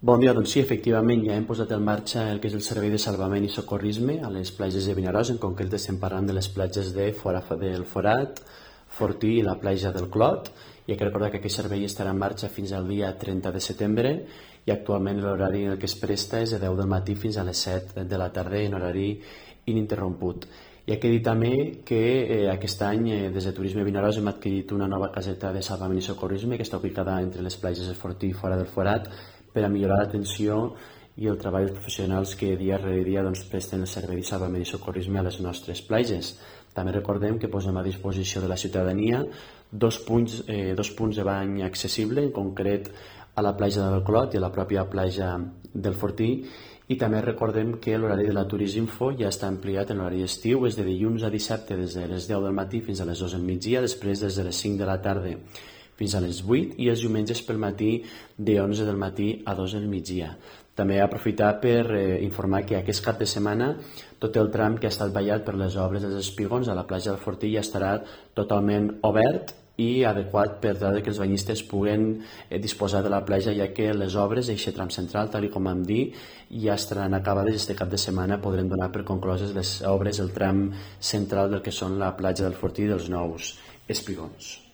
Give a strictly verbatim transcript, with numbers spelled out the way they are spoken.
Bon dia, doncs sí, efectivament ja hem posat en marxa el que és el servei de salvament i socorrisme a les platges de Vinaròs, en concret estem parlant de les platges de Fora del Forat, Fortí i la platja del Clot. I hay que recordar que aquest servei estarà en marxa fins al dia trenta de setembre i actualment l'horari en el que es presta és de deu del matí fins a les set de la tarda en horari ininterromput. I hay que dir també que eh, aquest any eh, des de Turisme Vinaròs hem adquirit una nova caseta de salvament i socorrisme que està ubicada entre les platges de Fortí i Fora del Forat per a millorar l'atenció i el treball dels professionals que dia rere dia doncs, presten el servei de salvament i socorrisme a les nostres platges. També recordem que posem a disposició de la ciutadania dos punts, eh, dos punts de bany accessible, en concret a la platja del Clot i a la pròpia platja del Fortí, i també recordem que l'horari de la Turisminfo ja està ampliat en l'horari estiu, és de dilluns a dissabte des de les deu del matí fins a les dues del migdia, després des de les cinc de la tarda fins a les vuit i els diumenges pel matí de onze del matí a dos del migdia. També aprofitar per eh, informar que aquest cap de setmana tot el tram que ha estat ballat per les obres dels espigons a la platja del Fortí ja estarà totalment obert i adequat per tal que els banyistes puguen eh, disposar de la platja, ja que les obres d'aquest tram central, tal com vam dir, ja estaran acabades i este cap de setmana podrem donar per concloses les obres del tram central del que són la platja del Fortí i dels nous espigons.